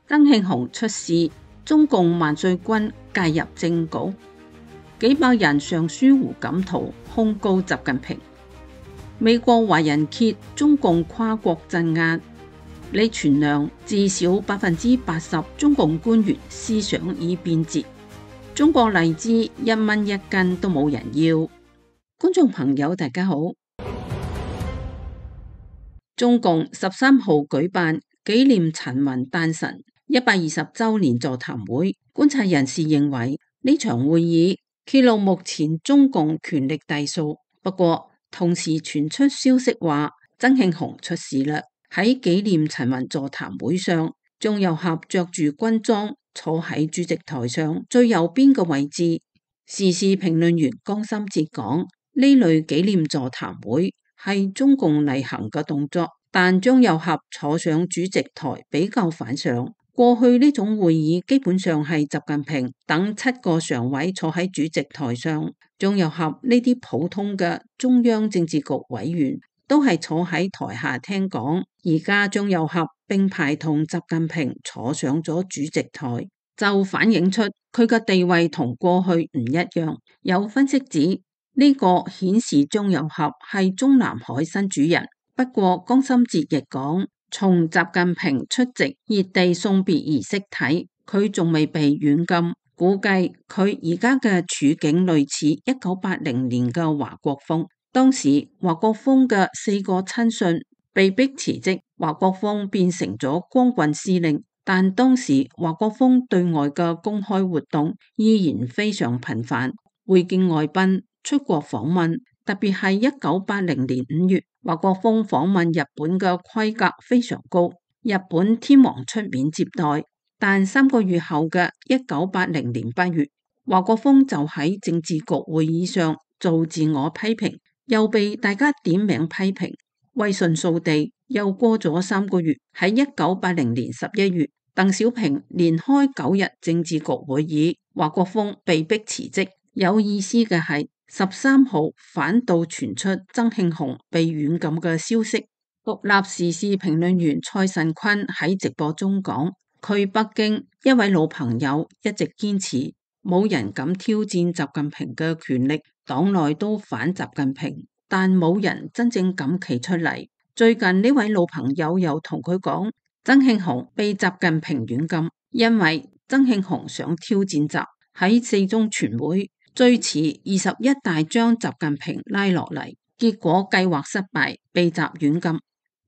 曾慶紅出事，中共萬歲軍介入政局，幾百人上書胡錦濤控告習近平。美國華人揭中共跨國鎮壓，李全亮至少80%中共官員思想已變節。中國荔枝1蚊1斤都冇人要。觀眾朋友大家好，中共13號舉辦紀念陳雲誕辰120週年座談會，觀察人士認為呢場會議揭露目前中共權力隸數。不過同時傳出消息話曾慶紅出事啦。喺紀念陳雲座談會上，鍾有俠着住軍裝坐喺主席台上最右邊嘅位置。時事評論員江心哲講，呢類紀念座談會係中共例行嘅動作，但鍾有俠坐上主席台比較反常。過去呢種會議基本上係習近平等7個常委坐喺主席台上，鍾有俠呢啲普通嘅中央政治局委員都係坐喺台下聽講。而家鍾有俠並排同習近平坐上咗主席台，就反映出佢嘅地位同過去唔一樣。有分析指呢個顯示鍾有俠係中南海新主人。不過江心哲亦講，從習近平出席熱地送別儀式睇，佢仲未被軟禁，估計佢而家嘅處境類似1980年嘅華國鋒。當時華國鋒嘅4個親信被逼辭職，華國鋒變成咗光棍司令，但當時華國鋒對外嘅公開活動依然非常頻繁，會見外賓、出國訪問，特別係1980年5月，華國鋒訪問日本嘅規格非常高，日本天皇出面接待。但3個月後嘅1980年8月，華國鋒就喺政治局會議上做自我批評，又被大家點名批評，威信掃地。又過咗3個月，喺1980年11月，鄧小平連開9日政治局會議，華國鋒被逼辭職。有意思嘅係13號反倒傳出曾慶紅被軟禁嘅消息。獨立時事評論員蔡慎坤喺直播中講，佢北京一位老朋友一直堅持冇人敢挑戰習近平嘅權力，黨內都反習近平，但冇人真正敢企出嚟。最近呢位老朋友又同佢講，曾慶紅被習近平軟禁，因為曾慶紅想挑戰習，喺4中全會最遲21大將習近平拉落嚟，結果計劃失敗，被習軟禁。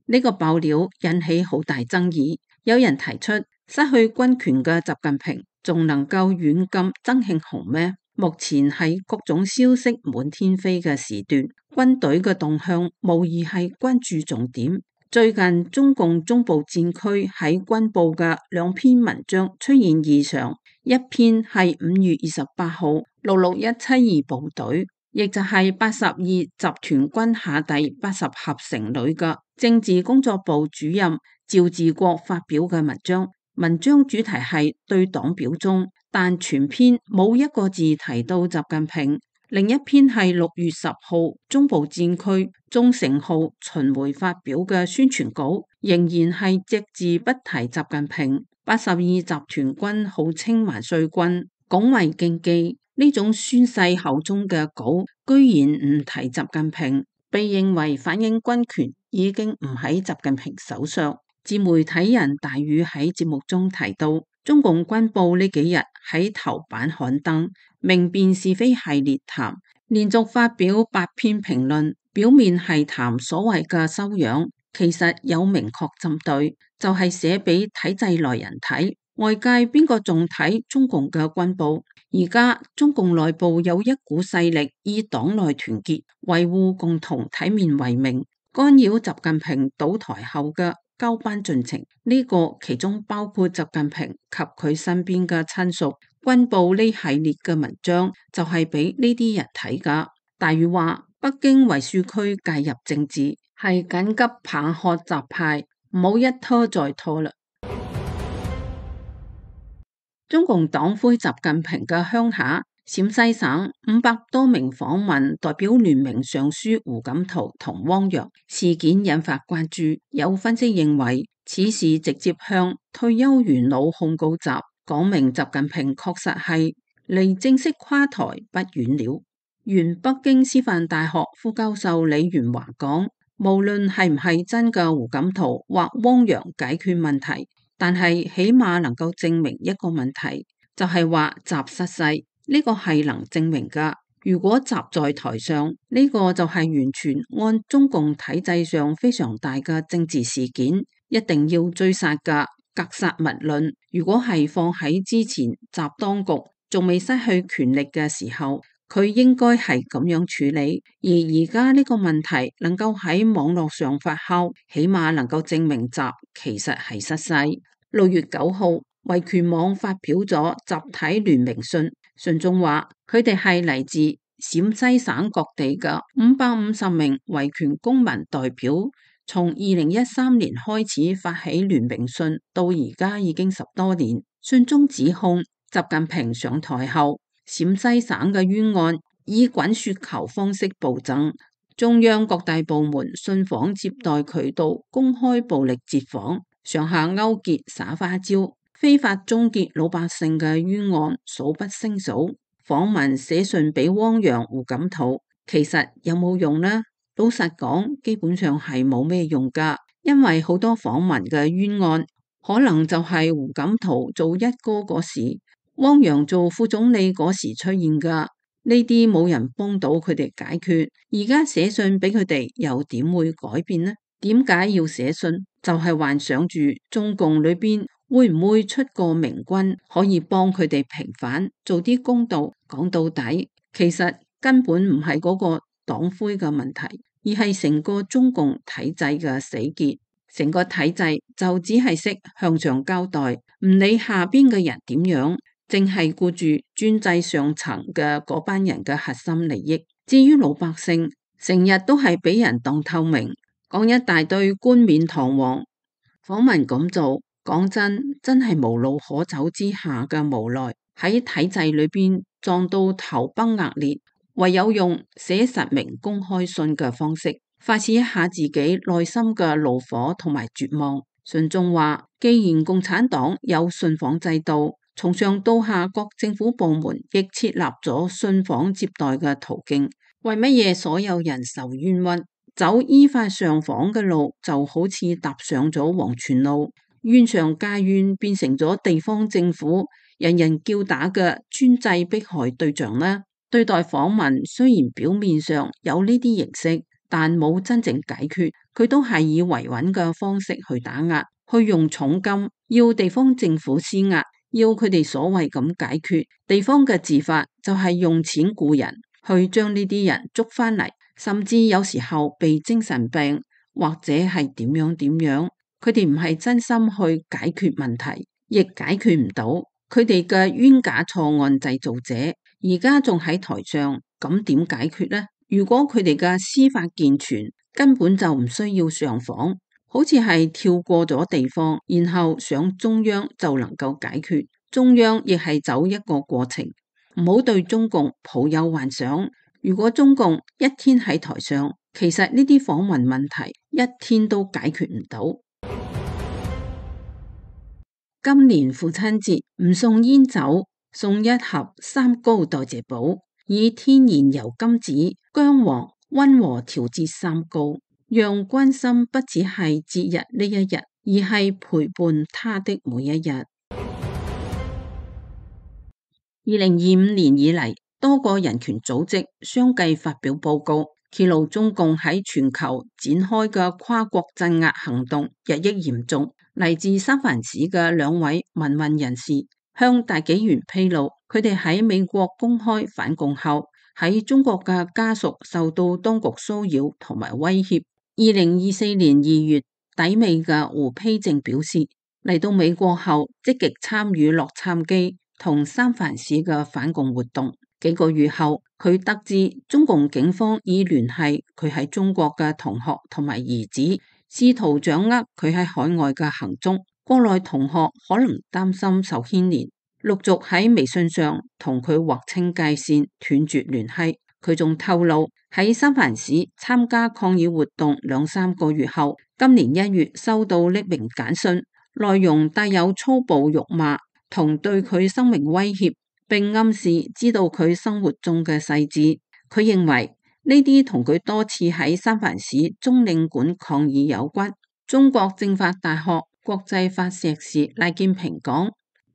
呢個爆料引起好大爭議，有人提出失去軍權嘅習近平仲能夠軟禁曾慶紅咩？目前係各種消息滿天飛嘅時段，軍隊嘅動向無疑係關注重點。最近中共中部戰區喺軍報嘅2篇文章出現異常，一篇係5月28號66172部隊，亦就係82集團軍下第80合成旅嘅政治工作部主任趙志國發表嘅文章。文章主題係對黨表忠，但全篇冇一個字提到習近平。另一篇係6月10號中部戰區中成號巡迴發表嘅宣傳稿，仍然係隻字不提習近平。82集團軍號稱萬歲軍，拱衛競技，呢種宣誓口中嘅稿居然唔提習近平，被認為反映軍權已經唔喺習近平手上。自媒體人大宇喺節目中提到，中共軍報呢幾日喺頭版刊登明辨是非系列談，連續發表8篇評論，表面係談所謂嘅修養，其實有明確針對，就係寫俾體制內人睇。外界邊個仲睇中共嘅軍報？而家中共內部有一股勢力以黨內團結、維護共同體面為名，干擾習近平倒台後嘅交班進程，呢個其中包括習近平及佢身邊嘅親屬。軍報呢系列嘅文章就係俾呢啲人睇噶。大宇話，北京衛戍區介入政治係緊急棒喝習派，唔好一拖再拖啦。中共黨魁習近平嘅鄉下陝西省500多名訪問代表聯名上書胡錦濤同汪洋，事件引發關注。有分析認為，此事直接向退休元老控告習，講明習近平確實係離正式垮台不遠了。原北京師範大學副教授李元華講，無論係唔係真嘅胡錦濤或汪洋解決問題，但係起碼能夠證明一個問題，就係話習失勢，呢個係能證明噶。如果習在台上，呢個就係完全按中共體制上非常大嘅政治事件，一定要追殺噶，格殺勿論。如果係放喺之前習當局仲未失去權力嘅時候，佢應該係咁樣處理。而而家呢個問題能夠喺網絡上發酵，起碼能夠證明習其實係失勢。6月9號，維權網發表咗集體聯名信。信中話，佢哋係嚟自陝西省各地嘅550名維權公民代表，從2013年開始發起聯名信，到而家已經10多年。信中指控習近平上台後，陝西省嘅冤案以滾雪球方式暴增，中央各大部門信訪接待渠道公開暴力截訪，上下勾結耍花招，非法終結老百姓嘅冤案數不勝數。訪民寫信俾汪洋、胡錦濤，其實有冇用呢？老實講，基本上係冇咩用噶，因為好多訪民嘅冤案可能就係胡錦濤做一哥嗰時，汪洋做副總理嗰時出現噶，呢啲冇人幫到佢哋解決。而家寫信俾佢哋又點會改變呢？點解要寫信？就係幻想住中共裏邊會唔會出個明君可以幫佢哋平反，做啲公道。講到底，其實根本唔係嗰個黨魁嘅問題，而係成個中共體制嘅死結。成個體制就只係識向上交代，唔理下邊嘅人點樣，淨係顧住專制上層嘅嗰班人嘅核心利益。至於老百姓，成日都係俾人當透明，講一大堆冠冕堂皇。訪民咁做，講真係無路可走之下嘅無奈，喺體制裏邊撞到頭崩額裂，唯有用寫實名公開信嘅方式發洩一下自己內心嘅怒火同埋絕望。信中話，既然共產黨有信訪制度，從上到下各政府部門亦設立咗信訪接待嘅途徑，為乜嘢所有人受冤屈？走依法上訪嘅路就好似踏上咗黃泉路，冤上加冤，變成咗地方政府人人叫打嘅專制迫害對象啦。對待訪民雖然表面上有呢啲形式，但冇真正解決，佢都係以維穩嘅方式去打壓，去用重金要地方政府施壓，要佢哋所謂咁解決。地方嘅治法就係用錢雇人去將呢啲人捉翻嚟，甚至有時候被精神病或者係點樣，佢哋唔係真心去解決問題，亦解決唔到。佢哋嘅冤假錯案製造者而家仲喺台上，咁點解決呢？如果佢哋嘅司法健全，根本就唔需要上訪，好似係跳過咗地方，然後上中央就能夠解決。中央亦係走一個過程，唔好對中共抱有幻想。如果中共一天喺台上，其實呢啲訪民問題一天都解決唔到。今年父親節唔送煙酒，送一盒三高代謝寶，以天然油甘子、薑黃溫和調節三高，讓關心不只係節日呢一日，而係陪伴他的每一日。2025年以嚟，多個人權組織相繼發表報告，揭露中共喺全球展開嘅跨國鎮壓行動日益嚴重。嚟自三藩市嘅2位民運人士向大紀元披露，佢哋喺美國公開反共後，喺中國嘅家屬受到當局騷擾同埋威脅。2024年2月底尾嘅胡丕正表示，嚟到美國後積極參與洛杉磯同三藩市嘅反共活動。幾個月後，佢得知中共警方已聯繫佢喺中國嘅同學同埋兒子，試圖掌握佢喺海外嘅行蹤。國內同學可能擔心受牽連，陸續喺微信上同佢劃清界線，斷絕聯繫。佢仲透露喺三藩市參加抗議活動2-3個月後，今年1月收到匿名簡訊，內容帶有粗暴辱罵同對佢生命威脅，並暗示知道佢生活中嘅細節。佢認為呢啲同佢多次喺三藩市中領館抗議有關。中國政法大學國際法碩士賴建平講：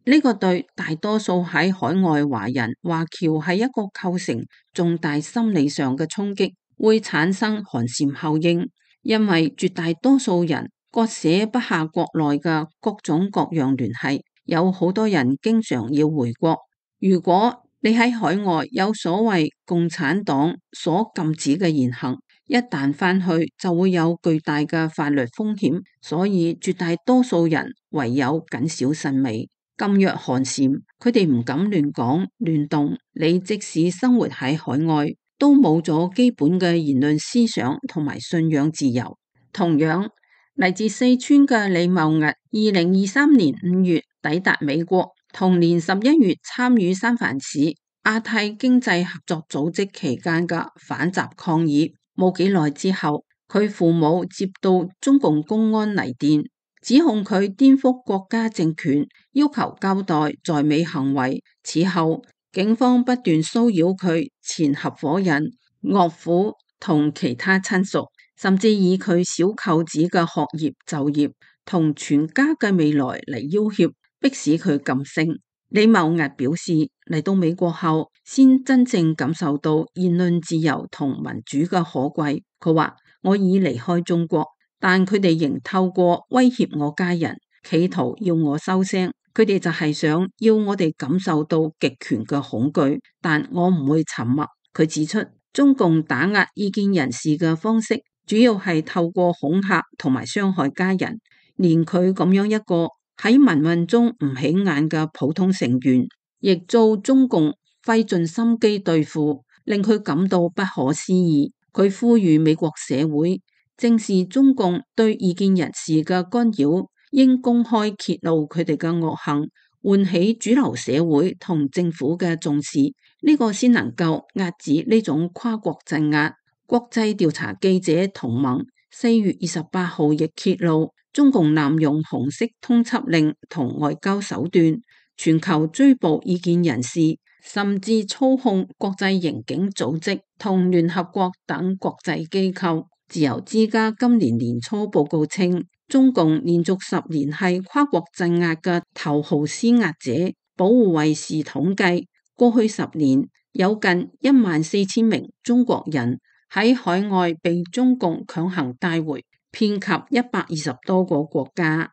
呢個對大多數喺海外華人華僑係一個構成重大心理上嘅衝擊，會產生寒蟬效應，因為絕大多數人割捨不下國內嘅各種各樣聯繫，有好多人經常要回國。如果你喺海外有所謂共產黨所禁止嘅言行，一旦返去就會有巨大嘅法律風險，所以絕大多數人唯有謹小慎微。噤若寒蟬，佢哋唔敢亂講亂動。你即使生活喺海外，都冇咗基本嘅言論思想同埋信仰自由。同樣，嚟自四川嘅李茂屹，2023年5月抵達美國，同年11月參與三藩市亞太經濟合作組織期間嘅反習抗議。冇幾耐之後，佢父母接到中共公安嚟電，指控佢顛覆國家政權，要求交代在美行為。此後，警方不斷騷擾佢前合夥人、岳父同其他親屬，甚至以佢小舅子嘅學業、就業同全家嘅未來嚟要挾，迫使佢噤聲。李茂屹表示，嚟到美國後，先真正感受到言論自由同民主嘅可貴。佢話：我已離開中國，但佢哋仍透過威脅我家人，企圖要我收聲。佢哋就係想要我哋感受到極權嘅恐懼，但我唔會沉默。佢指出，中共打壓意見人士嘅方式，主要係透過恐嚇同埋傷害家人，連佢咁樣一個喺民運中唔起眼嘅普通成員，亦遭中共費盡心機對付，令佢感到不可思議。佢呼籲美國社會正視中共對意見人士嘅干擾，應公開揭露佢哋嘅惡行，喚起主流社會同政府嘅重視，呢個先能夠遏止呢種跨國鎮壓。國際調查記者同盟4月28號亦揭露，中共濫用紅色通緝令同外交手段，全球追捕意見人士，甚至操控國際刑警組織同聯合國等國際機構。自由之家今年年初報告稱，中共連續10年係跨國鎮壓嘅頭號施壓者。保護衛士統計，過去10年有近14000名中國人喺海外被中共強行帶回，遍及120多個國家。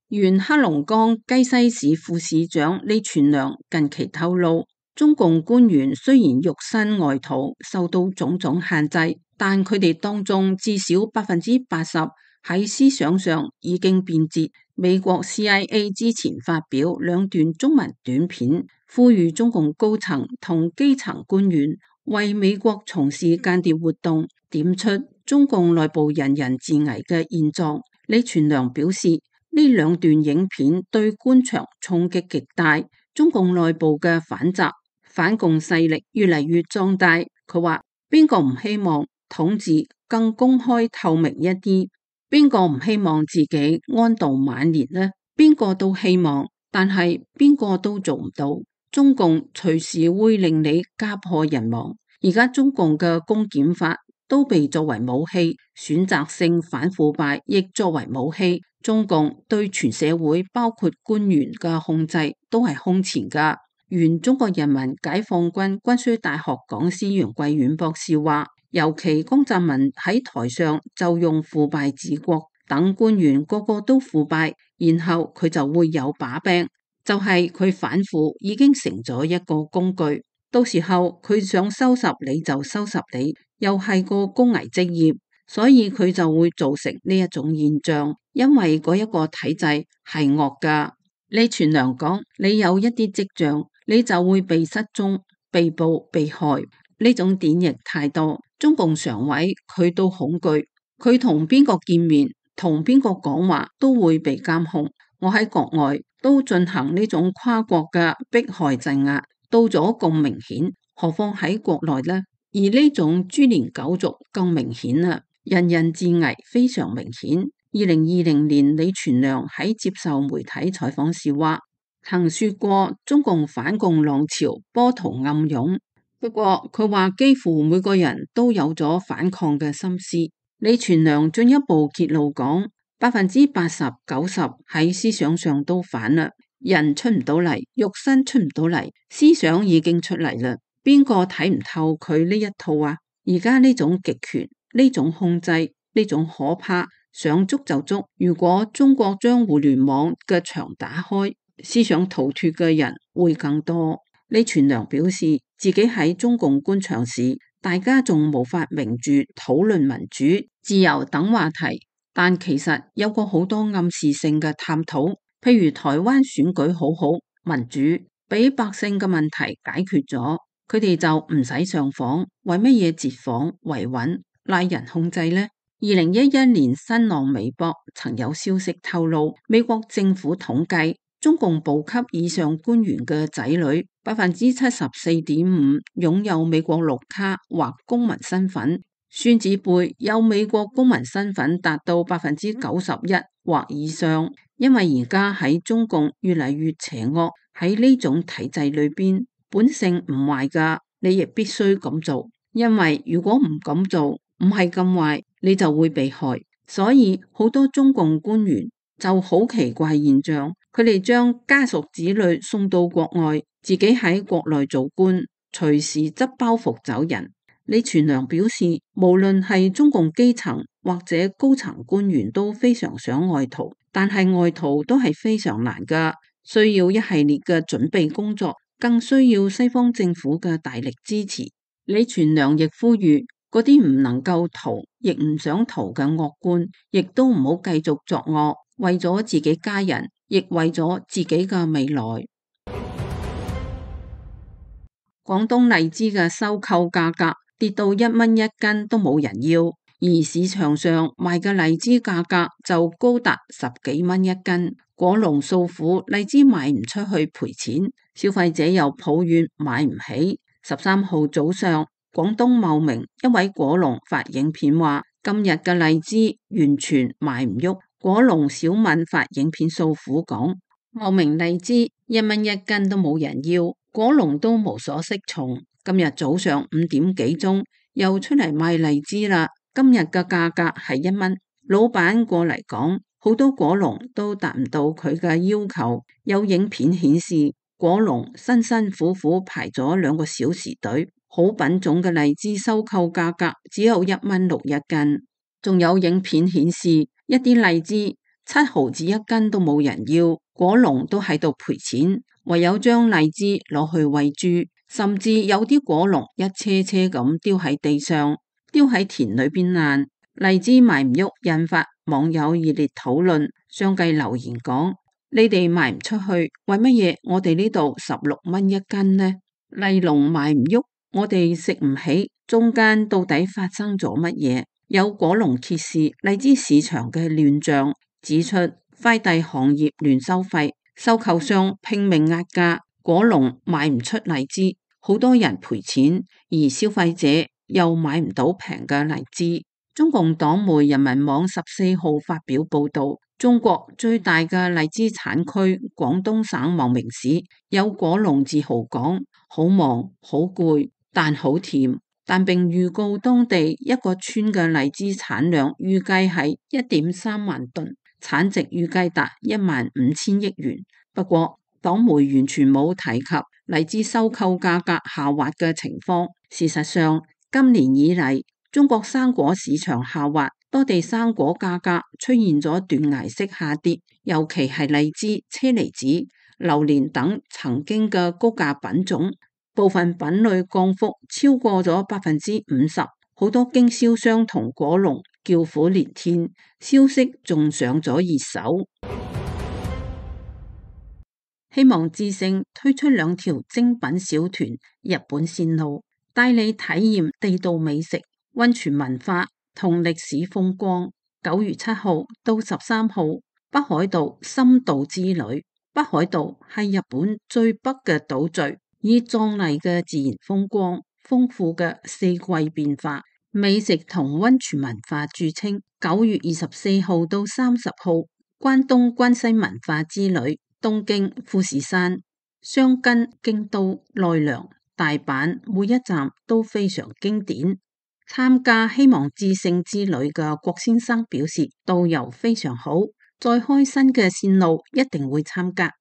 原黑龍江雞西市副市長李全良近期透露，中共官員雖然肉身外逃，受到種種限制，但佢哋當中至少80%喺思想上已經變節。美國 CIA 之前發表2段中文短片，呼籲中共高層同基層官員為美國從事間諜活動，點出中共內部人人自危嘅現狀。李全良表示，呢2段影片對官場衝擊極大，中共內部嘅反習反共勢力越嚟越壯大。佢話：邊個唔希望統治更公開透明一啲？邊個唔希望自己安度晚年呢？邊個都希望，但係邊個都做唔到。中共隨時會令你家破人亡。而家中共嘅公檢法都被作為武器，選擇性反腐敗亦作為武器。中共對全社會包括官員嘅控制都係空前噶。原中國人民解放軍軍需大學講師楊貴遠博士話，尤其江澤民喺台上就用腐敗治國，等官員個個都腐敗，然後佢就會有把柄，就係佢反腐已經成咗一個工具，到時候佢想收拾你就收拾你，又係個高危職業，所以佢就會造成呢一種現象，因為嗰一個體制係惡噶。李全良講，你有一啲跡象，你就會被失蹤、被捕、被害，呢種典型太多。中共常委佢都恐懼，佢同邊個見面、同邊個講話都會被監控。我喺國外都進行呢種跨國嘅迫害鎮壓，到咗咁明顯，何況喺國內呢？而呢種株連九族更明顯啦，人人自危非常明顯。2020年李全亮喺接受媒體採訪時話，曾說過中共反共浪潮波濤暗湧，不過佢話幾乎每個人都有咗反抗嘅心思。李全亮進一步揭露講，80%-90%喺思想上都反啦，人出唔到嚟，肉身出唔到嚟，思想已經出嚟啦。邊個睇唔透佢呢一套啊？而家呢種極權，呢種控制，呢種可怕，想捉就捉。如果中國將互聯網嘅牆打開，思想逃脫嘅人會更多。李全亮表示，自己喺中共官場時，大家仲無法明住討論民主、自由等話題，但其實有過好多暗示性嘅探討，譬如台灣選舉好好，民主俾百姓嘅問題解決咗。佢哋就唔使上訪，為乜嘢截訪、維穩、拉人控制呢？2011年新浪微博曾有消息透露，美國政府統計中共部級以上官員嘅仔女74.5%擁有美國綠卡或公民身份，孫子輩有美國公民身份達到91%或以上。因為而家喺中共越嚟越邪惡，喺呢種體制裏邊。本性唔壞噶，你亦必須咁做，因為如果唔咁做，唔係咁壞，你就會被害。所以好多中共官員就好奇怪現象，佢哋將家屬子女送到國外，自己喺國內做官，隨時執包袱走人。李全亮表示，無論係中共基層或者高層官員都非常想外逃，但係外逃都係非常難噶，需要一系列嘅準備工作。更需要西方政府嘅大力支持。李全亮亦呼籲嗰啲唔能夠逃，亦唔想逃嘅惡官，亦都唔好繼續作惡，為咗自己家人，亦為咗自己嘅未來。廣東荔枝嘅收購價格跌到1蚊一斤都冇人要，而市場上賣嘅荔枝價格就高達10幾蚊一斤。果農訴苦，荔枝賣唔出去賠錢，消費者又抱怨買唔起。13號早上，廣東茂名一位果農發影片話，今日嘅荔枝完全賣唔喐。果農小敏發影片訴苦講，茂名荔枝1蚊一斤都冇人要，果農都無所適從。今日早上5點幾鐘又出嚟賣荔枝啦，今日嘅價格係1蚊。老闆過嚟講，好多果農都達唔到佢嘅要求，有影片顯示果農辛辛苦苦排咗2個小時隊，好品種嘅荔枝收購價格只有1蚊6一斤。仲有影片顯示一啲荔枝7毫子一斤都冇人要，果農都喺度賠錢，唯有將荔枝攞去餵豬，甚至有啲果農一車車咁丟喺地上，丟喺田裏邊爛。荔枝賣唔喐，引發網友熱烈討論。相繼留言講：你哋賣唔出去，為乜嘢我哋呢度16蚊一斤呢？荔農賣唔喐，我哋食唔起，中間到底發生咗乜嘢？有果農揭示荔枝市場嘅亂象，指出快遞行業亂收費，收購商拼命壓價，果農賣唔出荔枝，好多人賠錢，而消費者又買唔到平嘅荔枝。中共黨媒人民網14號發表報道，中國最大嘅荔枝產區廣東省茂名市有果農自豪講，好忙好攰，但好甜，但並預告當地一個村嘅荔枝產量預計係1.3萬噸，產值預計達15000億元。不過黨媒完全冇提及荔枝收購價格下滑嘅情況。事實上，今年以嚟，中國生果市場下滑，多地生果價格出現咗斷崖式下跌，尤其係荔枝、車厘子、榴蓮等曾經嘅高價品種，部分品類降幅超過咗50%，好多經銷商同果農叫苦連天，消息仲上咗熱搜。希望之聲推出2條精品小團日本線路，帶你體驗地道美食、溫泉文化同歷史風光。9月7號到13號，北海道深度之旅。北海道係日本最北嘅島嶼，以壯麗嘅自然風光、豐富嘅四季變化、美食同溫泉文化著稱。9月24號到30號，關東關西文化之旅，東京、富士山、箱根、京都、奈良、大阪，每一站都非常經典。參加希望至聖之旅嘅郭先生表示，導遊非常好，再開新嘅線路一定會參加。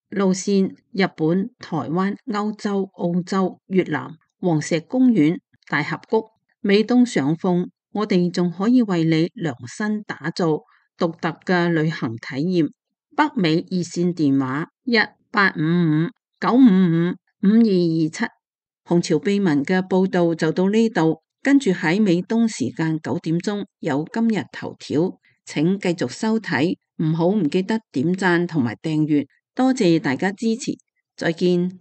路線：日本、台灣、歐洲、澳洲、越南、黃石公園、大峽谷。美東上風，我哋仲可以為你量身打造獨特嘅旅行體驗。北美熱線電話1855-955-5227。紅潮秘聞嘅報道就到呢度，跟住喺美東時間9點鐘有今日頭條，請繼續收睇，唔記得點讚同埋訂閱，多謝大家支持，再見。